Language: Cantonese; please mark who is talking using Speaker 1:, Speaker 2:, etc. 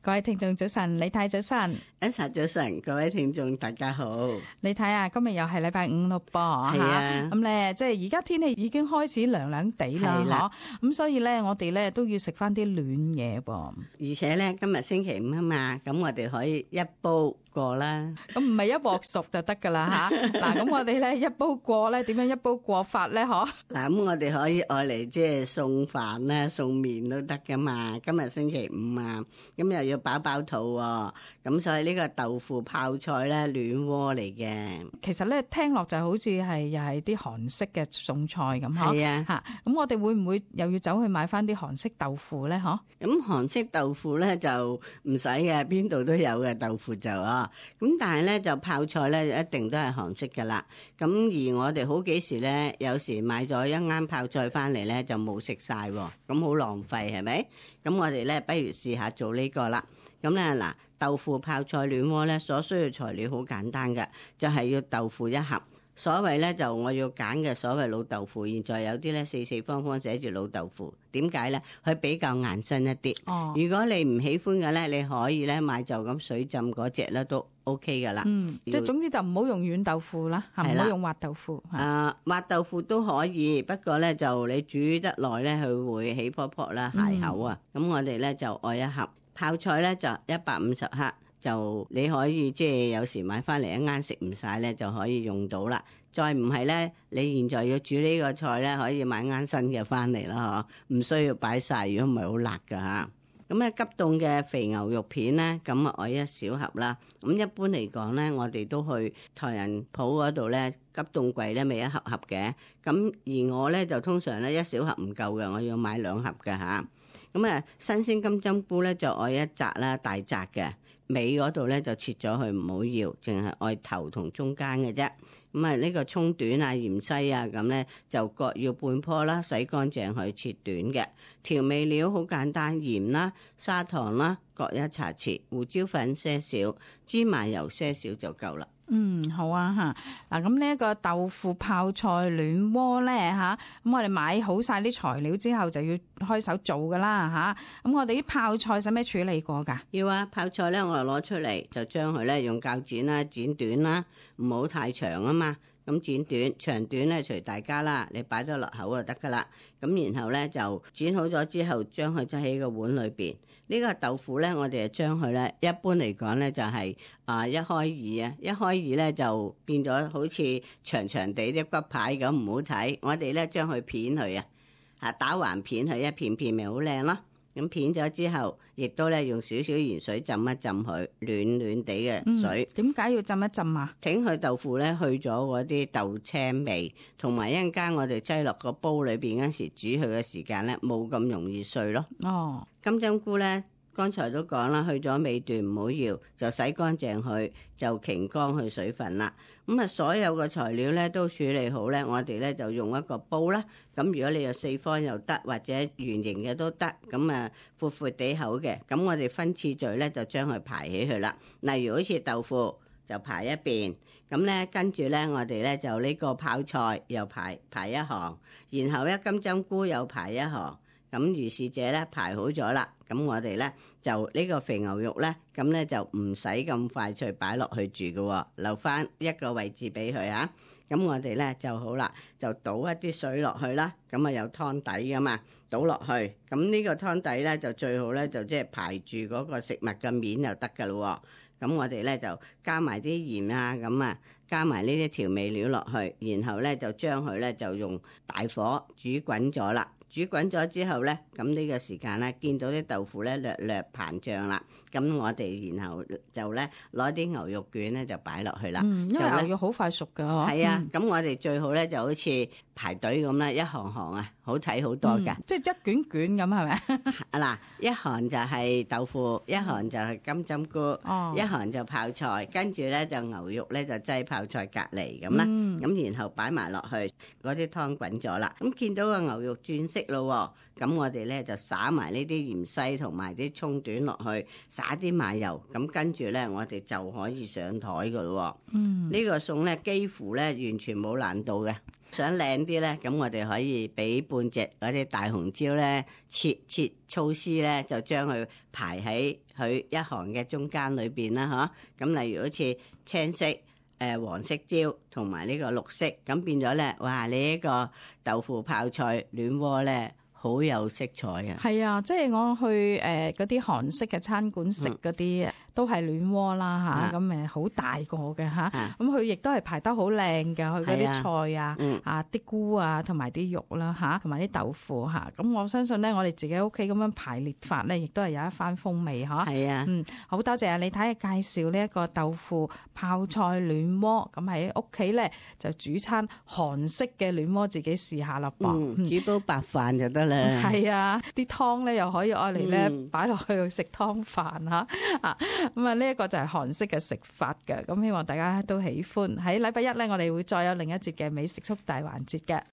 Speaker 1: 各位聽眾早晨，李太早晨，
Speaker 2: 一齊早晨，各位聽眾大家好。
Speaker 1: 你睇啊，今日又係禮拜五咯噃，
Speaker 2: 係啊，
Speaker 1: 咁咧即係而家天氣已經開始涼涼地啦，咁所以咧我哋咧都要食翻啲暖嘢噃。
Speaker 2: 而且咧今日星期五啊嘛，咁我哋可以一煲過啦。
Speaker 1: 咁唔係一鑊熟就得噶啦吓。嗱，咁我哋咧一煲過咧，點樣一煲過法咧？嗬。
Speaker 2: 嗱，咁我哋可以愛嚟即係送飯啦、送麵都得噶嘛。今日星期五啊，咁又要飽飽肚喎，咁所以呢個豆腐泡菜咧暖鍋嚟嘅。
Speaker 1: 其實咧聽落就好似係又係啲韓式嘅餸菜咁嗬。
Speaker 2: 係啊，
Speaker 1: 吓，咁我哋會唔會又要走去買翻啲韓式豆腐咧？嗬。
Speaker 2: 咁韓式豆腐咧就唔使嘅，邊度都有嘅豆腐就啊。咁但係咧就泡菜咧一定都係韓式噶啦。咁而我哋好幾時咧，有時買咗一啱泡菜翻嚟咧就冇食晒，咁好浪費係咪？咁我哋咧不如試下做呢個啦。咁咧嗱，豆腐泡菜暖鍋咧所需要材料好簡單嘅，就係要豆腐一盒。所謂咧就我要揀嘅所謂老豆腐，現在有啲咧四四方方寫住老豆腐，點解咧？佢比較硬身一啲。哦，如果你唔喜歡嘅咧，你可以咧買就咁水浸嗰隻咧都 OK 噶啦。
Speaker 1: 即係總之就唔好用軟豆腐啦，唔好用滑豆腐。
Speaker 2: 滑豆腐都可以，不過咧就你煮得耐咧，佢會起泡泡啦、鞋口啊。咁我哋咧就愛一盒泡菜咧就150克。就你可以即係有時買翻嚟一啱食唔晒咧，就可以用到啦。再唔係咧，你現在要煮呢個菜咧，可以買啱新嘅翻嚟啦，嗬，唔需要擺晒，如果唔係好辣噶吓。咁咧急凍嘅肥牛肉片咧，咁啊我一小盒啦。咁一般嚟講咧，我哋都去台人鋪嗰度咧，急凍櫃咧咪一盒盒嘅。咁而我咧就通常咧一小盒唔夠嘅，我要買2盒嘅吓。咁啊新鮮金針菇咧就愛一紮啦，大紮嘅。尾嗰度咧就切咗佢，唔好要，淨係愛頭同中間嘅啫。咁啊呢個葱短啊、芫茜啊咁咧就各要半棵啦，洗乾淨去切短嘅。調味料好簡單，鹽啦、砂糖啦各1茶匙，胡椒粉些少，芝麻油些少就夠啦。
Speaker 1: 好啊吓。嗱，咁呢一個豆腐泡菜暖鍋咧吓，咁我哋買好晒啲材料之後就要開手做噶啦吓。咁我哋啲泡菜使咩處理過噶？
Speaker 2: 要啊，泡菜咧我攞出嚟就將佢咧用鉸剪啦剪短啦，唔好太長啊嘛。咁剪短長短咧隨大家啦，你擺咗落口就得噶啦。咁然後咧就剪好咗之後，將佢擠喺個碗裏邊。呢個豆腐咧，我哋就將佢咧，一般嚟講咧就係一開二啊，一開二咧就變咗好似長長地啲骨牌咁，唔好睇。我哋咧將佢片佢啊，打橫片佢一片片咪好靚咯。咁片咗之後，亦都咧用少少鹽水浸一浸佢，暖暖地嘅水。
Speaker 1: 點解要浸一浸啊？
Speaker 2: 挺佢豆腐咧去咗嗰啲豆青味，同埋一陣間我哋擠落個煲裏邊嗰時煮佢嘅時間咧冇咁容易碎咯。哦，金針菇咧。剛才都講啦，去咗尾段唔好要，就洗乾淨佢，就擎乾佢水分啦。咁啊，所有嘅材料咧都處理好咧，我哋咧就用一個煲啦。咁如果你有四方又得，或者圓形嘅都得，咁啊闊闊地口嘅，咁我哋分次序咧就將佢排起去啦。例如好似豆腐就排一邊，咁咧跟住咧我哋咧就呢個泡菜又排一行，然後咧金針菇又排一行。咁如是者咧排好咗啦，咁我哋咧就呢個肥牛肉咧，咁咧就唔使咁快脆擺落去住嘅，留翻一個位置俾佢啊。咁我哋咧就好啦，就倒一啲水落去啦，咁啊有湯底噶嘛，倒落去，咁呢個湯底咧就最好咧就即係排住嗰個食物嘅面就得噶咯。咁我哋咧就加埋啲鹽啊，咁啊加埋呢啲調味料落去，然後咧就將佢咧就用大火煮滾咗啦。煮滾咗之後咧，咁呢個時間咧，見到啲豆腐咧略略膨脹啦，咁我哋然後就咧攞啲牛肉卷咧就擺落去啦。
Speaker 1: 因為牛肉好快熟噶，
Speaker 2: 係啊，咁我哋最好咧就好似排隊咁啦，一行行啊，好睇好多噶。
Speaker 1: 即係一卷卷咁係咪？
Speaker 2: 嗱，一行就係豆腐，一行就係金針菇，一行就泡菜，跟住咧就牛肉咧就擠泡菜隔離咁啦。咁然後擺埋落去，嗰啲湯滾咗啦。咁見到個牛肉轉色色咯，咁我哋咧就灑埋呢啲芫茜同埋啲葱段落去，灑啲麻油，咁跟住咧我哋就可以上台噶咯。呢個餸咧幾乎咧完全冇難度嘅。想靚啲咧，咁我哋可以俾半隻嗰啲大紅椒咧，切粗絲咧，就將佢排喺佢一行嘅中間裏邊啦，嗬。咁例如好似青色、黃色椒同埋呢個綠色，咁變咗咧，哇！你呢個豆腐泡菜暖鍋咧，好有色彩啊！
Speaker 1: 係啊，即係我去嗰啲韓式嘅餐館食嗰啲，都係暖鍋啦嚇，咁好大個嘅嚇，咁佢亦都係排得好靚嘅，佢嗰啲菜啊、啲菇啊同埋啲肉啦嚇，同埋啲豆腐嚇，咁我相信咧，我哋自己屋企咁樣排列法咧，亦都係有一番風味嚇。
Speaker 2: 係啊，
Speaker 1: 好多謝李太介紹呢一個豆腐泡菜暖鍋，咁喺屋企咧就煮餐韓式嘅暖鍋，自己試下啦噃。
Speaker 2: 煮煲白飯就得啦。
Speaker 1: 係啊，啲湯咧又可以愛嚟咧擺落去食湯飯嚇啊！咁啊，呢一個就係韓式嘅食法嘅，咁希望大家都喜歡。喺禮拜一咧，我哋會再有另一節嘅美食速遞環節嘅。